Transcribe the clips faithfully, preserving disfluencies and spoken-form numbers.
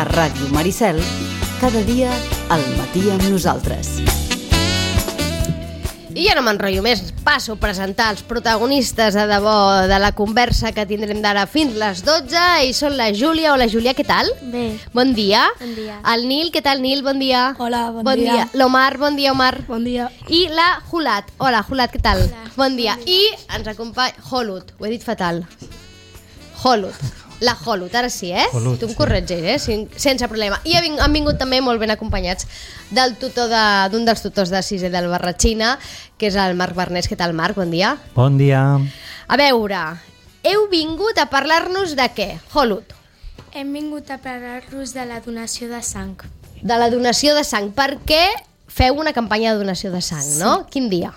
a Ràdio Maricel, cada dia al matí amb nosaltres. I ja no m'enrotllo més, passo a presentar els protagonistes de debò de la conversa que tindrem d'ara fins les dotze, i són la Júlia. Hola Júlia, què tal? Bé. Bon dia. Bon dia. El Nil, què tal Nil? Bon dia. Hola, bon, bon dia. dia. L'Omar, bon dia Omar. Bon dia. I la Julat. Hola Julat, què tal? Hola. Bon dia. Bon dia. I ens acompanya Holut, ho he dit fatal. Holut. La Holut, ara sí, eh? Holut, tu em sí. corregis, eh? Sin, sense problema. I han vingut, han vingut també molt ben acompanyats del tutor de, d'un dels tutors de sisè del Barratxina, que és el Marc Barnés. Què tal, Marc? Bon dia. Bon dia. A veure, heu vingut a parlar-nos de què? Holut. Hem vingut a parlar-vos de la donació de sang. De la donació de sang. Per què feu una campanya de donació de sang, sí. no? Quin dia?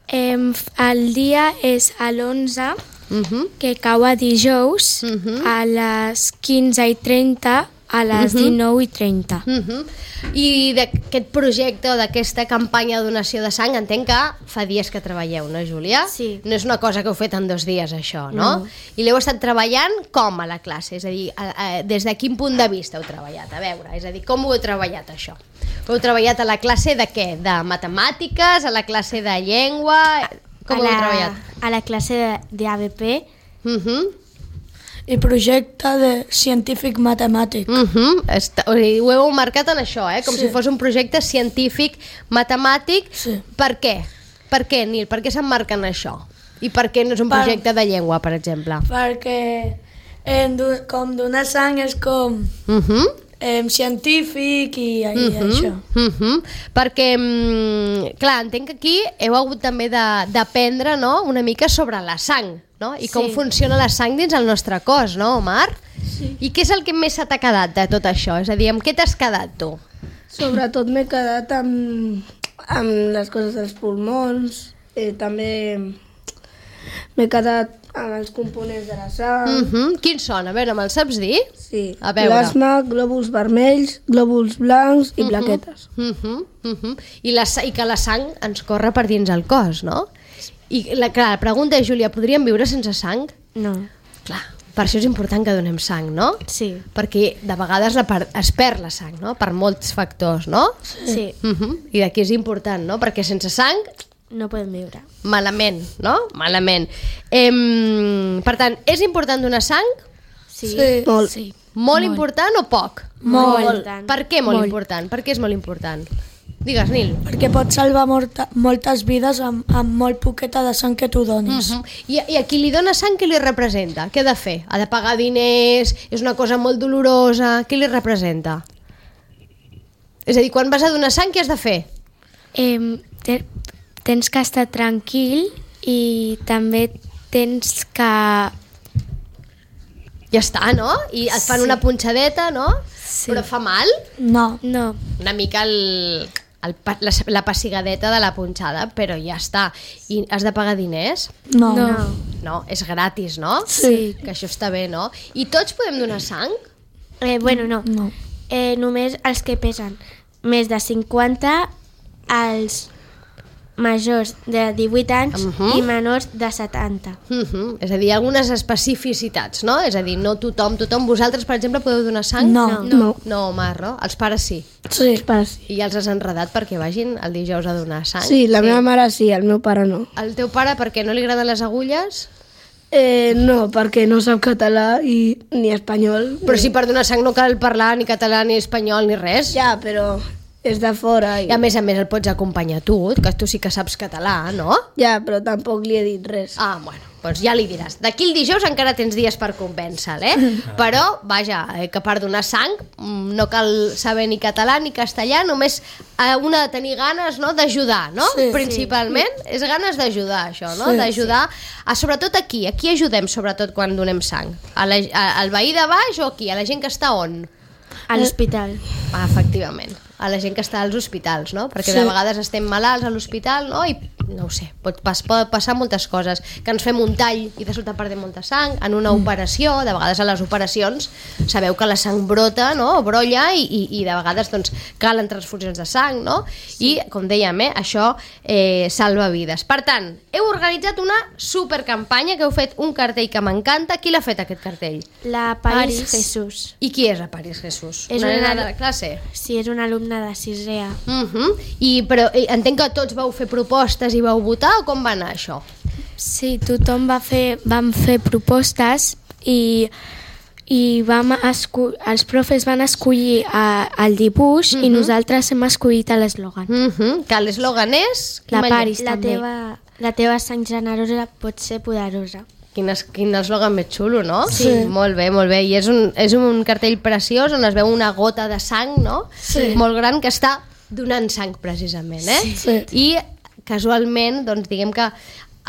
Em, el dia és a l'onze, Uh-huh. que cau a dijous, Uh-huh. a les quinze i trenta, a les Uh-huh. dinou i trenta. Uh-huh. I d'aquest projecte o d'aquesta campanya de donació de sang entenc que fa dies que treballeu, no, Júlia? Sí. No és una cosa que heu fet en dos dies, això, no? No. I l'heu estat treballant com a la classe? És a dir, a, a, des de quin punt de vista heu treballat? A veure, és a dir, com ho heu treballat, això? Heu treballat a la classe de què? De matemàtiques? A la classe de llengua? Com a ho heu la, treballat? A la classe d'A B P. Uh-huh. I projecte de científic matemàtic. Uh-huh. Està, o sigui, ho heu marcat en això, eh? Com Sí. si fos un projecte científic, matemàtic. Sí. Per què? Per què, Nil? Per què s'emmarca en això? I per què no és un Per- projecte de llengua, per exemple? Perquè eh, do- com donar sang és com Uh-huh. eh, científic i, i Uh-huh. això. Uh-huh. Perquè, mm, clar, entenc que aquí heu hagut també de- d'aprendre, no?, una mica sobre la sang, no? I com Sí. funciona la sang dins el nostre cos, no, Omar? Sí. I què és el que més se t'ha quedat de tot això? És a dir, amb què t'has quedat tu? Sobretot m'he quedat amb, amb les coses dels pulmons, eh, també m'he quedat amb els components de la sang, Uh-huh. Quins són? A veure, me'ls saps dir? sí, A veure. plasma, glòbuls vermells, glòbuls blancs i plaquetes. Uh-huh, uh-huh. I, la, sa- I que la sang ens corre per dins el cos, no? I la, clar, la pregunta és, Júlia, podríem viure sense sang? No. Clar, per això és important que donem sang, no? Sí. Perquè de vegades la per, es perd la sang, no? Per molts factors, no? Sí. Uh-huh. I d'aquí és important, no? Perquè sense sang, No podem viure. malament, no? Malament. Em, per tant, és important donar sang? Sí. Sí. Molt. Sí. Molt, important o poc? Molt. Per què molt, Molt. important? Per què és molt important? Digues, Nil. Perquè pots salvar molta, moltes vides amb, amb molt poqueta de sang que tu donis. Uh-huh. I, I a qui li dona sang, què li representa? Què ha de fer? Ha de pagar diners? És una cosa molt dolorosa? Què li representa? És a dir, quan vas a donar sang, què has de fer? Em, te, tens que estar tranquil i també tens que... Ja està, no? I et fan Sí. una punxadeta, no? Sí. Però fa mal? No. No. Una mica el, el, pa- la, la pessigadeta de la punxada, però ja està. I has de pagar diners? No. No. No, és gratis, no? Sí. Que això està bé, no? I tots podem donar sang? Eh, bueno, no. No. Eh, només els que pesen més de cinquanta, els majors de divuit anys Mhm. i menors de setanta. Uh -huh. És a dir, algunes especificitats, no? És a dir, no tothom, tothom. Vosaltres, per exemple, podeu donar sang? No. No. No, Omar, no? Els pares sí. Sí, els pares sí. I ja els has enredat perquè vagin el dijous a donar sang? Sí, la meva mare sí, el meu pare no. El teu pare, per què? No li agraden les agulles? Eh, no, perquè no sap català i ni espanyol. Però si per donar sang no cal parlar ni català, ni espanyol, ni res. Ja, però és de fora. I... I a més a més el pots acompanyar tu, que tu sí que saps català, no? Ja, però tampoc li he dit res. Ah, bueno, doncs ja li diràs. D'aquí el dijous encara tens dies per convèncer-lo, eh? Però, vaja, eh, que per donar sang mm, no cal saber ni català ni castellà, només eh, una de tenir ganes, no?, d'ajudar, no? Sí, Principalment és ganes d'ajudar, això, no? Sí, D'ajudar, a, sobretot aquí. Aquí ajudem, sobretot, quan donem sang. A la, a, al veí de baix o aquí? A la gent que està on? A l'hospital. Ah, efectivament, a la gent que està als hospitals, no? Perquè Sí. de vegades estem malalts a l'hospital, no? I no ho sé, pot, pas, pot passar moltes coses, que ens fem un tall i de sobte perdem molta sang, en una operació, de vegades a les operacions sabeu que la sang brota, no? O brolla i, i, i de vegades doncs, calen transfusions de sang, no? I com dèiem, eh, això eh, salva vides. Per tant, heu organitzat una supercampanya, que heu fet un cartell que m'encanta. Qui l'ha fet aquest cartell? La Paris, Paris. Jesús. I qui és la Paris Jesús? És una una- nena de la classe? Sí, és un alumne de sisè A. Uh -huh. I, però eh, entenc que tots vau fer propostes i vau votar, o com va anar això? Sí, tothom va fer, vam fer propostes i, i vam escu els profes van escollir a, el dibuix uh -huh. i nosaltres hem escollit l'eslògan. Uh -huh. Que l'eslògan és... La Quin Paris La també. teva, la teva sang generosa pot ser poderosa. Quin, es, quin eslògan més xulo, no? Sí. Molt bé, molt bé. I és un, és un cartell preciós on es veu una gota de sang, no? Sí. Molt gran, que està donant sang, precisament, eh? Sí. I casualment, doncs diguem que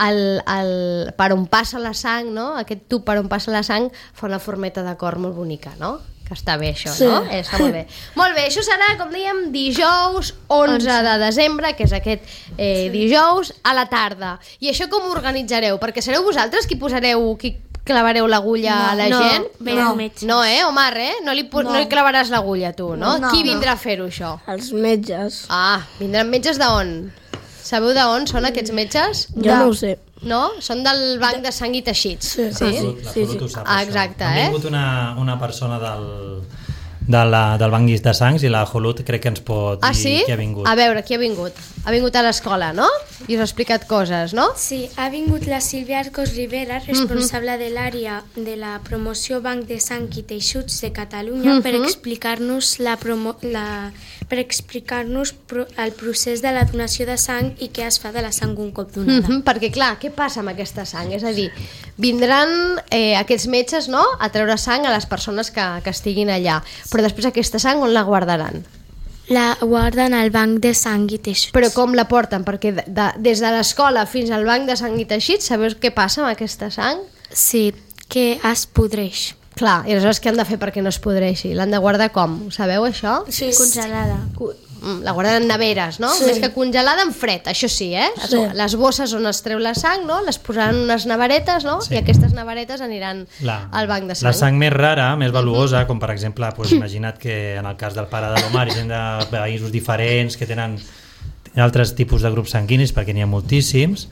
el, el, per on passa la sang, no? Aquest tub per on passa la sang fa una formeta de cor molt bonica, no? Que està bé això, Sí. no? Eh, està molt bé. Molt bé, això serà, com dèiem, dijous onze de desembre, que és aquest eh, dijous, a la tarda. I això com ho organitzareu? Perquè sereu vosaltres qui posareu, qui clavareu l'agulla No, a la no, gent? venen no. metges. No, eh, Omar, eh? No li, pos, no. no li clavaràs l'agulla, tu, no? No, Qui no. vindrà a fer-ho, això? Els metges. Ah, vindran metges d'on? Sabeu d'on són aquests metges? Jo no ho sé. No? Són del banc de sang i teixits. Sí. Sí? La Salut, la Sí, Salut sí. ho sap, Ah, això. exacte, Ha eh? vingut una, una persona del, de la, del banc de sangs i la Jolut crec que ens pot Ah, dir sí? qui ha vingut. A veure, qui ha vingut? Ha vingut a l'escola, no? I us ha explicat coses, no? Sí, ha vingut la Sílvia Arcos Rivera, responsable de l'àrea de la promoció Banc de Sang i Teixuts de Catalunya, per explicar-nos la promo la per explicar-nos pro el procés de la donació de sang i què es fa de la sang un cop donada. Mhm, perquè clar, què passa amb aquesta sang? És a dir, vindran eh, aquests metges, no?, a treure sang a les persones que, que estiguin allà, però després aquesta sang on la guardaran? La guarden al Banc de Sang i Teixuts. Però com la porten? Perquè de, de, des de l'escola fins al banc de sang i teixits, sabeu què passa amb aquesta sang? Sí, que es podreix. Clar, i aleshores què han de fer perquè no es podreixi? L'han de guardar com? Ho sabeu, això? Sí. Congelada. Cu- mm, La guarden en neveres, no? Sí. Més que congelada, en fred, això sí, eh? Es- Sí. Les bosses on es treu la sang, no? Les posaran en unes neveretes, no? Sí. I aquestes neveretes aniran La, al banc de sang. la sang més rara, més valuosa, com per exemple, doncs, imagina't que en el cas del pare de l'Omar hi ha gent de països diferents que tenen altres tipus de grups sanguinis, perquè n'hi ha moltíssims,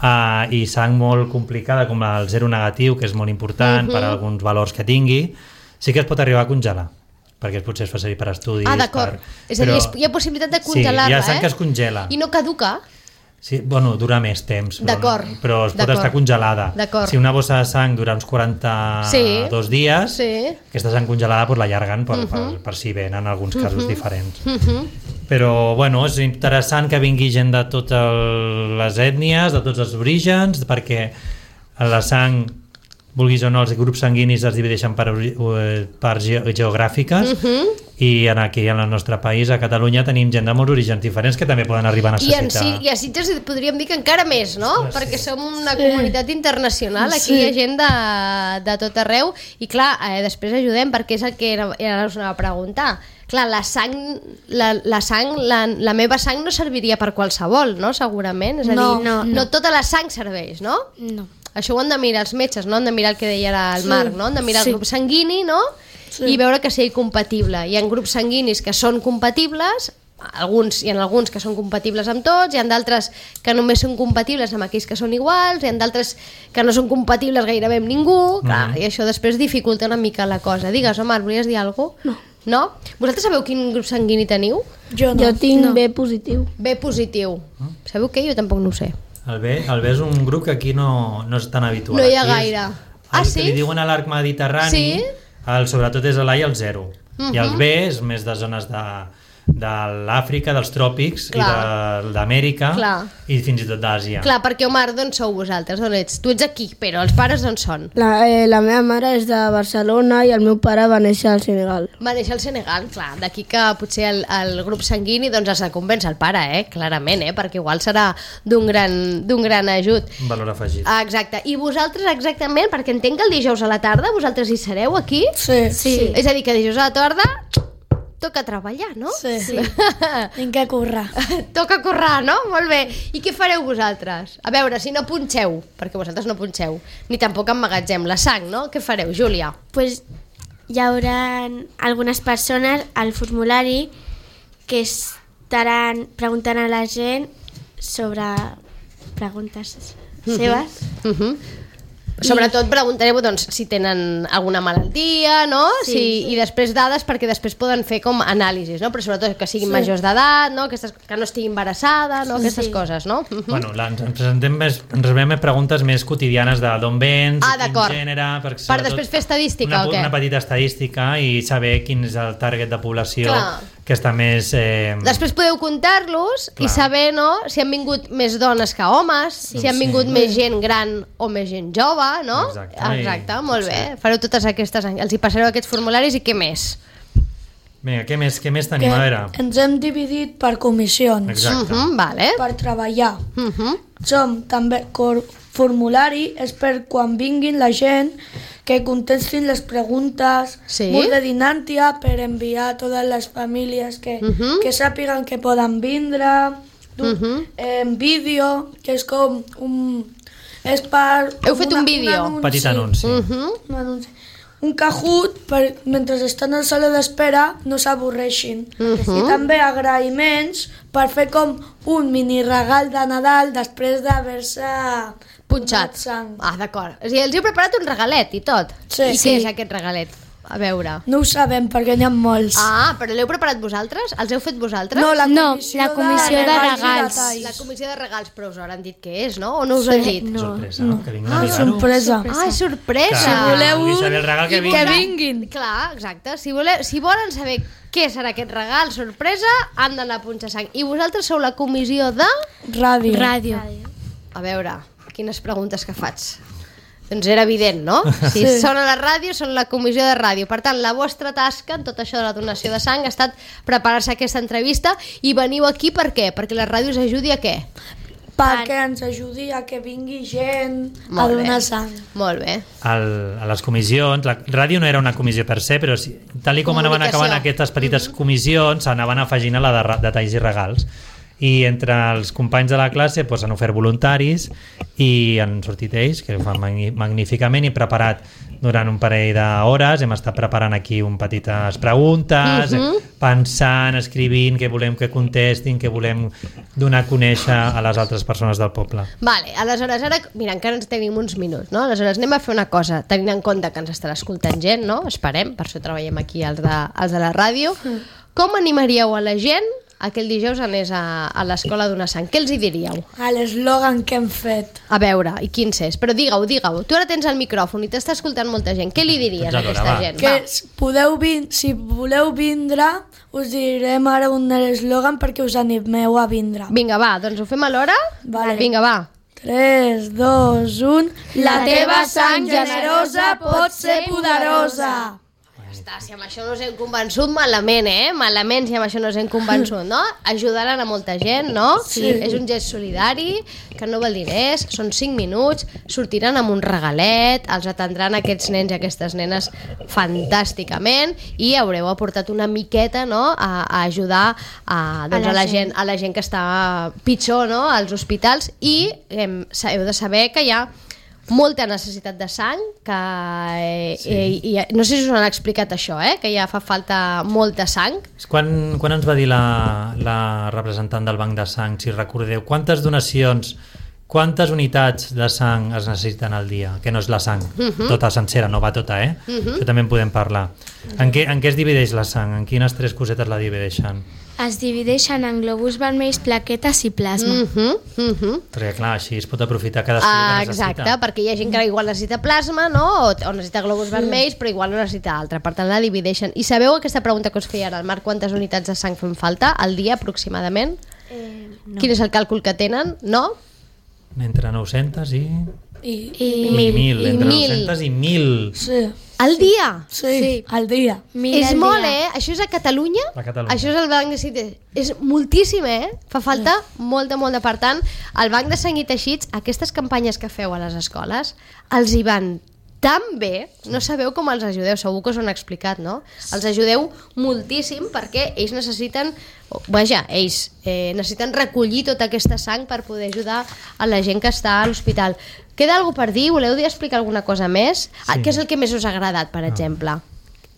uh, i sang molt complicada com el zero negatiu, que és molt important per alguns valors que tingui, sí que es pot arribar a congelar, perquè potser es fa servir per estudis. Ah, d'acord. Per... És a dir, però- es- hi ha possibilitat de Sí, congelar-la, hi ha sang eh? que es congela. I no caduca? Sí, bueno, dura més temps, però, D'acord, però es pot d'acord. estar congelada. D'acord. Si una bossa de sang dura uns quaranta-dos Sí, dies, sí. aquesta sang congelada pues, l'allarguen per, uh -huh. per, per si ven en alguns casos uh -huh. diferents. Uh -huh. Però bueno, és interessant que vingui gent de totes les ètnies, de tots els orígens, perquè la sang, vulguis o no, els grups sanguinis es divideixen per, eh, per ge geogràfiques, uh -huh. i en aquí en el nostre país, a Catalunya, tenim gent de molts orígens diferents que també poden arribar a I, en, necessitar. Si- I a Sitges podríem dir que encara més, no? Ostres, Perquè sí. som una comunitat internacional, aquí Sí. hi ha gent de, de tot arreu, i clar, eh, després ajudem, perquè és el que era, era us anava a preguntar. Clar, la sang, la, la, sang la, la meva sang no serviria per qualsevol, no? Segurament, és a No, dir, no, no no. tota la sang serveix, no? No. Això ho han de mirar els metges, no? Han de mirar el que deia ara el Sí. Marc, no? Han de mirar Sí. el grup sanguini, no? Sí. I veure que sigui compatible. Hi ha grups sanguinis que són compatibles, alguns, hi ha alguns que són compatibles amb tots, hi ha d'altres que només són compatibles amb aquells que són iguals, hi ha d'altres que no són compatibles gairebé amb ningú, clar, Mhm. i això després dificulta una mica la cosa. Digues, Omar, volies dir alguna cosa? No. No? Vosaltres sabeu quin grup sanguini teniu? Jo, no. jo tinc no. B positiu. B positiu. Sabeu què? Jo tampoc no ho sé. El B, el B és un grup que aquí no, no és tan habitual. No hi ha Aquí és gaire. El Ah, que sí? li diuen a l'arc mediterrani, Sí? el, sobretot és l'A i el zero. Mhm. I el B és més de zones de, de l'Àfrica, dels tròpics, Clar. i de- d'Amèrica, Clar. i fins i tot d'Àsia. Clar, perquè Omar, d'on sou vosaltres? D'on ets? Tu ets aquí, però els pares d'on són? La, eh, la meva mare és de Barcelona i el meu pare va néixer al Senegal. Va néixer al Senegal, clar. D'aquí que potser el, el grup sanguini doncs has de convèncer el pare, eh? Clarament, eh? Perquè igual serà d'un gran, d'un gran ajut. Un valor afegit. Ah, exacte. I vosaltres exactament, perquè entenc que el dijous a la tarda vosaltres hi sereu aquí? Sí. Sí. És a dir, que dijous a la tarda toca treballar, no? Sí, sí. Tinc que currar. Toca currar, no? Molt bé. I què fareu vosaltres? A veure, si no punxeu, perquè vosaltres no punxeu, ni tampoc emmagatzem la sang, no? Què fareu, Júlia? Pues hi haurà algunes persones al formulari que estaran preguntant a la gent sobre preguntes seves. Uh-huh. Sobretot preguntareu doncs, si tenen alguna malaltia, no? Sí, si, sí. I després dades perquè després poden fer com anàlisis, no? Però sobretot que siguin Sí. majors d'edat, no? Aquestes, que no estigui embarassada, no? Aquestes Sí. coses, no? Uh-huh. Bueno, la, ens presentem més, ens rebem més preguntes més quotidianes de d'on vens, Ah, quin d'acord. gènere... Per, Per després fer estadística, una, o què? Una petita estadística i saber quin és el target de població Clar. que està més... Eh, Després podeu comptar-los i Clar. saber, no?, si han vingut més dones que homes, sí, si han vingut Sí. més gent gran o més gent jove, no? Exacte, Exacte, i- molt sí. bé. Fareu totes aquestes... Els hi passareu aquests formularis i què més? Vinga, què més, què més tenim? A veure. ens hem dividit per comissions Exacte. Uh -huh, vale. per treballar. Uh -huh. Som també cor formulari és per quan vinguin la gent que contestin les preguntes, Sí. mur de dinància per enviar a totes les famílies que, Mhm. que sàpiguen que poden vindre, du- Mhm. en vídeo, que és com un... És per... Heu fet un vídeo? Un petit anunci. Uh -huh. Un anunci. Un Kahoot per, mentre estan a la sala d'espera no s'avorreixin. Mhm. I també agraïments per fer com un mini regal de Nadal després d'haver-se Punxat. donat sang. Ah, d'acord. O sigui, els heu preparat un regalet i tot. Sí. I Sí. què és aquest regalet? A veure. No ho sabem perquè n'hi ha molts. Ah, però l'heu preparat vosaltres? Els heu fet vosaltres? no, la No, comissió, la comissió de regals i regals. detalls. La comissió de regals, però us hauran dit què és, no? O no us ho han dit? No. Sorpresa, no. que vinguin a Ah, mirar-ho. sorpresa. Ah, és sorpresa! Si voleu vulgui un, saber el regal que Que vingui. vinguin. Clar, exacte. Si, voleu, si volen saber què serà aquest regal sorpresa, han d'anar a punxar sang. I vosaltres sou la comissió de... Ràdio. Ràdio. A veure, quines preguntes que faig. Doncs era evident, no? Si Sí. són a la ràdio, són la comissió de ràdio. Per tant, la vostra tasca en tot això de la donació de sang ha estat preparar-se aquesta entrevista i veniu aquí per què? Perquè la ràdio us ajudi a què? Perquè ens ajudi a que vingui gent a Molt bé. donar sang. Molt bé. Al, a les comissions, la ràdio no era una comissió per se, però si, tal i com anaven Comunicació. acabant aquestes petites comissions, s'anaven afegint a la de ra- detalls i regals. I entre els companys de la classe doncs, han ofert voluntaris i han sortit ells, que ho fan magni- magníficament i preparat durant un parell d'hores. Hem estat preparant aquí un petites preguntes, Mhm. pensant, escrivint què volem que contestin, què volem donar a conèixer a les altres persones del poble. Vale, aleshores ara, mira, encara ens tenim uns minuts, no? Aleshores anem a fer una cosa, tenint en compte que ens estarà escoltant gent, no? Esperem, per això treballem aquí els de, els de la ràdio. Com animaríeu a la gent aquell dijous anés a, a l'escola a donar sang? Què els hi diríeu? A l'eslògan que hem fet. A veure, i quins és? Però digue-ho, digue-ho. Tu ara tens el micròfon i t'està escoltant molta gent. Què li diries a Doncs aquesta alhora, va. gent? Que Va. s- podeu vin si voleu vindre, us direm ara un eslògan perquè us animeu a vindre. Vinga, va, doncs ho fem alhora? Vale. Vinga, va. tres, dos, un... La teva sang generosa pot ser poderosa. Està, si amb això no us hem convençut, malament, eh? Malament si amb això no us hem convençut, no? Ajudaran a molta gent, no? Sí. És un gest solidari, que no val diners, són cinc minuts, sortiran amb un regalet, els atendran aquests nens i aquestes nenes fantàsticament i haureu aportat una miqueta, no?, a, a ajudar a, doncs, A a, la la gent, a la gent que està pitjor, no?, als hospitals i eh, heu de saber que hi ha molta necessitat de sang, que eh, Sí. eh, i, no sé si us han explicat això, eh? Que ja fa falta molta sang. Quan, quan ens va dir la, la representant del Banc de Sang, si recordeu, quantes donacions, quantes unitats de sang es necessiten al dia? Que no és la sang, Mhm. tota sencera, no va tota, eh? Això també en podem parlar. En què, en què es divideix la sang? En quines tres cosetes la divideixen? Es divideixen en globus vermells, plaquetes i plasma. Uh -huh, uh -huh. Perquè clar, així es pot aprofitar cadascú Ah, que necessita. exacte, perquè hi ha gent que igual necessita plasma, no? O, o necessita globus vermells, però igual no necessita altra. Per tant, la divideixen. I sabeu aquesta pregunta que us feia ara, el Marc, quantes unitats de sang fan falta al dia aproximadament? Eh, no. Quin és el càlcul que tenen? No? Entre nou-centes i... I, I I mil. i Entre mil. nou-centes i mil. sí, Al dia? sí, sí, al dia. Mil És al molt, dia. eh? Això és a Catalunya? A Catalunya. Això és el Banc de Sang. És moltíssim, eh? Fa falta molta, molta. Per tant, el Banc de Sang i Teixits, aquestes campanyes que feu a les escoles, els hi van tan bé, no sabeu com els ajudeu, segur que us ho han explicat, no? Els ajudeu moltíssim perquè ells necessiten, vaja, ells eh, necessiten recollir tota aquesta sang per poder ajudar a la gent que està a l'hospital. Queda alguna per dir? Voleu dir explicar alguna cosa més? Sí. Què és el que més us ha agradat, per exemple?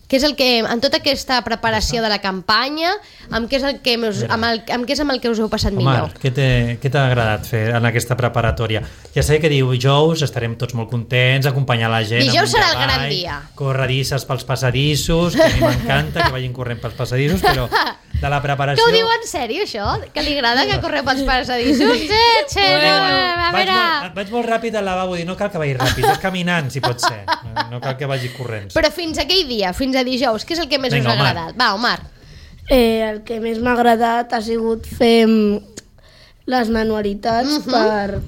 Què és el que, en tota aquesta preparació de la campanya, amb què és el que, us, amb el, amb què és amb el que us heu passat Omar, millor? Què què t'ha agradat fer en aquesta preparatòria? Ja sé que dijous estarem tots molt contents, acompanyar la gent. Dijous serà el cavall, gran dia. Corredisses pels passadissos, que a mi m'encanta que vagin corrent pels passadissos, però de la preparació... Que ho diu en sèrio, això? Que li agrada que correu pels passadissos? Eh, che, no, a vaig, veure... molt, vaig molt ràpid al lavabo, dir, no cal que vagi ràpid, és caminant, si pot ser. No cal que vagi corrents. Però fins aquell dia, fins a dijous, què és el que més Vinga, us ha Omar. agradat? Va, Omar. Eh, el que més m'ha agradat ha sigut fer mm, les manualitats Mhm. per,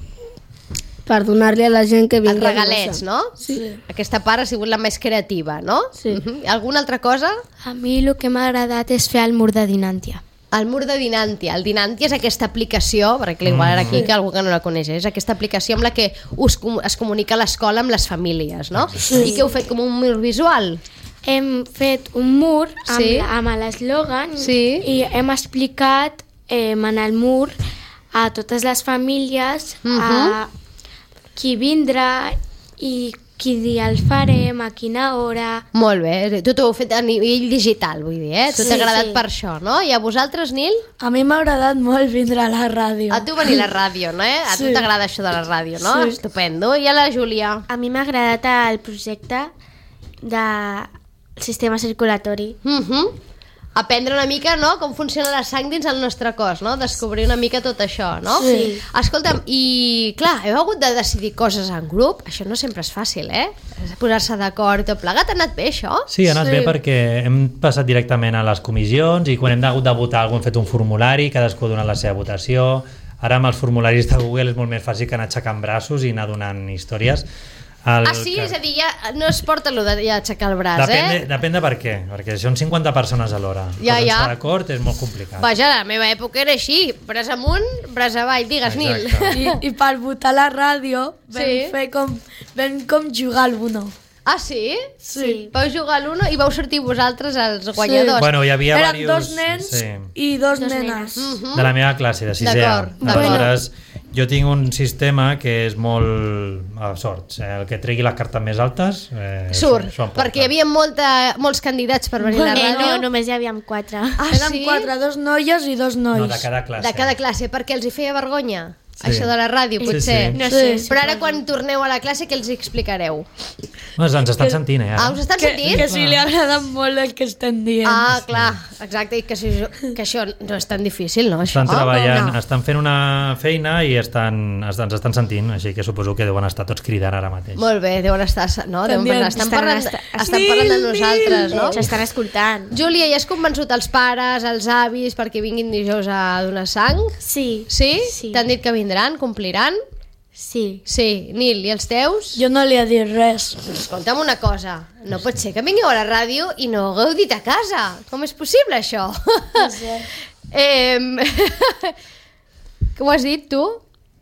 per donar-li a la gent que vingui Els regalets, a no? Sí. Aquesta part ha sigut la més creativa, no? Sí. Mhm. Alguna altra cosa? A mi el que m'ha agradat és fer el mur de Dinàntia. El mur de Dinàntia. El Dinàntia és aquesta aplicació, perquè igual ara aquí que algú que no la coneix, és aquesta aplicació amb la que us, com- es comunica l'escola amb les famílies, no? Sí. I que heu fet com un mur visual. Hem fet un mur amb, Sí. amb l'eslògan Sí. i hem explicat eh, en el mur a totes les famílies Mhm. a qui vindrà i quin dia el farem, a quina hora. Molt bé, tu t'ho heu fet a nivell digital, vull dir, eh? Tu Sí, t'ha agradat sí. per això, no? I a vosaltres, Nil? A mi m'ha agradat molt vindre a la ràdio. A tu venir a la ràdio, no? Eh? A tu Sí. t'agrada això de la ràdio, no? Sí. Estupendo. I a la Júlia? A mi m'ha agradat el projecte de sistema circulatori. Mhm. Aprendre una mica, no?, com funciona la sang dins el nostre cos, no? Descobrir una mica tot això, no? Sí. Escolta'm, i clar, heu hagut de decidir coses en grup? Això no sempre és fàcil, eh? Posar-se d'acord i tot plegat. Ha anat bé, això? Sí, ha anat sí. bé perquè hem passat directament a les comissions i quan hem hagut de votar algú hem fet un formulari, cadascú ha donat la seva votació. Ara amb els formularis de Google és molt més fàcil que anar aixecant braços i anar donant històries. El Ah, sí? que... És a dir, ja no es porta allò de ja aixecar el braç, Depèn de, eh? depèn de per què, perquè són cinquanta persones alhora. Ja, Posar-se ja. d'acord és molt complicat. Vaja, la meva època era així, braç amunt, braç avall, digues, Nil. Exacte. I, I per votar a la ràdio vam, Sí. fer com, vam com jugar al Uno. Ah, sí? Sí. Vau jugar a l'uno i vau sortir vosaltres els guanyadors. Bueno, hi havia Eren diversos... dos nens Sí. i dos, Dos nenes. Mhm. De la meva classe, de sisè. D'acord, d'acord. Aleshores, jo tinc un sistema que és molt a sorts. Eh? El que tregui les cartes més altes... Eh, Surt, s'ho emporta. perquè hi havia molta, molts candidats per venir a la Eh, ràdio. no, només hi havia quatre. Ah, Eren sí? quatre, dos noies i dos nois. No, de cada classe. De cada classe, perquè els hi feia vergonya, Sí. això de la ràdio, Sí, potser. sí. No sé, Sí. Però ara quan torneu a la classe, què els hi explicareu? Doncs ens estan sentint, eh? ara. Ah, us estan Que, sentint? que sí, li ha agradat molt el que estem dient. Ah, clar, exacte, i que, si, que això no és tan difícil, no? Això, Estan treballant, no? estan fent una feina i estan, estan, ens estan sentint, així que suposo que deuen estar tots cridant ara mateix. Molt bé, deuen estar, no? Deuen dient, parlar, estan, estan- parlant, estan- estan parlant de nosaltres, no? S'estan escoltant. Júlia, ja has convençut els pares, els avis, perquè vinguin dijous a donar sang? Sí. Sí? Sí. T'han dit que vindran, compliran? Sí. Sí. Nil, i els teus? Jo no li he dit res. Escolta'm una cosa, no pot ser que vingueu a la ràdio i no ho hagueu dit a casa. Com és possible, això? No sé. eh, Què ho has dit, tu?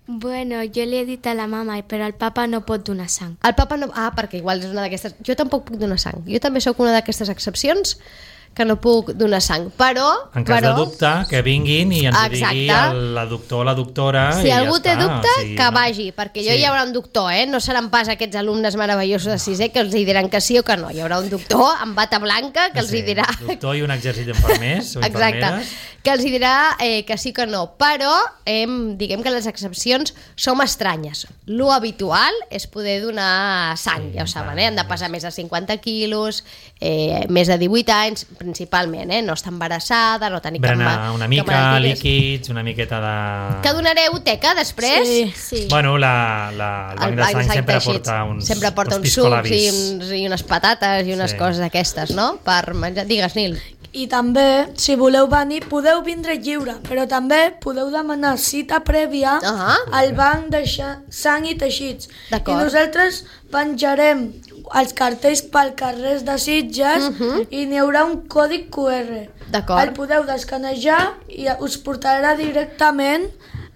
Bueno, jo li he dit a la mama, però el papa no pot donar sang. El papa no... Ah, perquè igual és una d'aquestes... Jo tampoc puc donar sang. Jo també sóc una d'aquestes excepcions que no puc donar sang. Però... En cas però, de dubte, que vinguin i ens ho Exacte. digui el, la doctor o la doctora. Si i ja algú té està. dubte, O sigui, que no- vagi, perquè jo Sí. hi haurà un doctor, eh? No seran pas aquests alumnes meravellosos de sisè que els hi diran que sí o que no. Hi haurà un doctor amb bata blanca que els hi dirà... Doctor i un exèrcit d'infermers o Exacte, infermeres. que els hi dirà eh, que sí que no, però eh, diguem que les excepcions som estranyes. Lo habitual és poder donar sang, Sí, ja ho saben, tant, eh? Han de pesar més de cinquanta quilos, eh, més de divuit anys, principalment, eh? No estar embarassada, no tenir Berenar cap, ma- una cap mica, malaltia. líquids, una miqueta de... Que donareu teca després? Sí. Sí. Bueno, la, la, el banc de sang sempre teixits. porta uns, sempre porta uns uns sucs i, piscolabis. uns, i unes patates i unes Sí. coses d'aquestes, no? Per menjar. Digues, Nil. I també, si voleu venir, podeu vindre lliure, però també podeu demanar cita prèvia Ah. al banc de xa- sang i teixits. I D'acord. nosaltres penjarem els cartells pel carrer de Sitges i n'hi haurà un còdig Q R. D'acord. El podeu descanejar i us portarà directament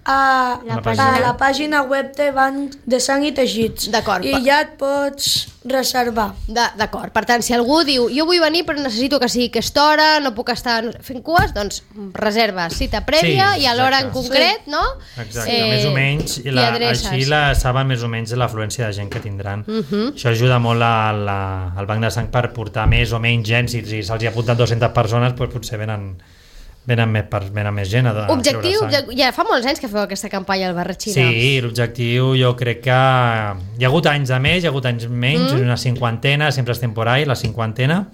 a La la, pàgina. a la pàgina web de Banc de Sang i Teixits. D'acord. I ja et pots reservar. De- D'acord, per tant, si algú diu jo vull venir però necessito que sigui aquesta hora, no puc estar fent cues, doncs reserva cita prèvia Sí, i a l'hora en exacte. concret, no? Exacte, eh, més o menys, i t'hi la, adreces. així la, saben més o menys l'afluència de gent que tindran. Uh -huh. Això ajuda molt a la, al Banc de Sang per portar més o menys gent, si, si se'ls hi apunten dues-centes persones, doncs potser venen, venen, més, per, venen més gent a, a Objectiu, treure sang. ja fa molts anys que feu aquesta campanya al Barratxina. Sí, l'objectiu jo crec que hi ha hagut anys de més, hi ha hagut anys menys, mm. una cinquantena, sempre és temporal, la cinquantena,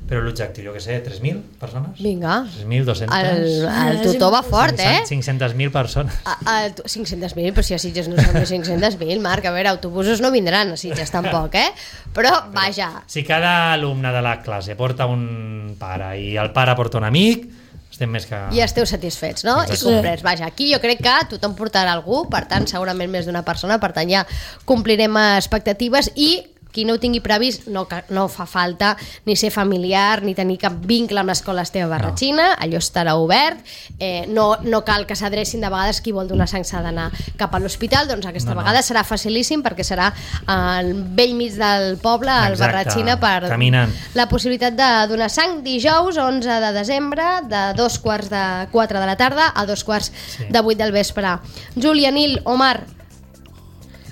però l'objectiu, jo què sé, tres mil persones? Vinga. tres mil dos-centes? El, el tutor va fort, eh? cinc-centes mil persones. A, a, cinc-centes mil, però si a Sitges no són més cinc-centes mil, Marc, a veure, autobusos no vindran a Sitges tampoc, eh? Però, vaja, Si cada alumne de la classe porta un pare i el pare porta un amic, estem més que... i esteu satisfets, no? Exacte. I complets. Vaja, aquí jo crec que tothom portarà algú, per tant, segurament més d'una persona, per tant, ja complirem expectatives i qui no ho tingui previst no, ca- no fa falta ni ser familiar ni tenir cap vincle amb l'escola Esteve Barratxina, allò estarà obert, eh, no, no cal que s'adrecin de vegades qui vol donar sang s'ha d'anar cap a l'hospital, doncs aquesta No, no. vegada serà facilíssim perquè serà al vell mig del poble, al Exacte, Barratxina, per caminant. la possibilitat de donar sang dijous onze de desembre de dos quarts de quatre de la tarda a dos quarts Sí. de vuit del vespre. Júlia, Nil, Omar,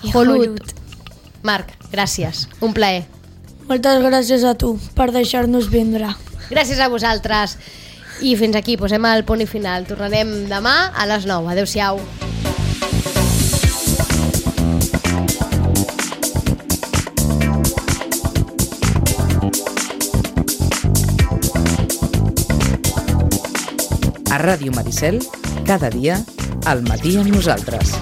I Jolut, Jolut. Marc, gràcies, un plaer. Moltes gràcies a tu per deixar-nos vindre. Gràcies a vosaltres. I fins aquí, posem el punt i final. Tornarem demà a les nou. Adéu-siau. A Ràdio Maricel, cada dia, al matí amb nosaltres.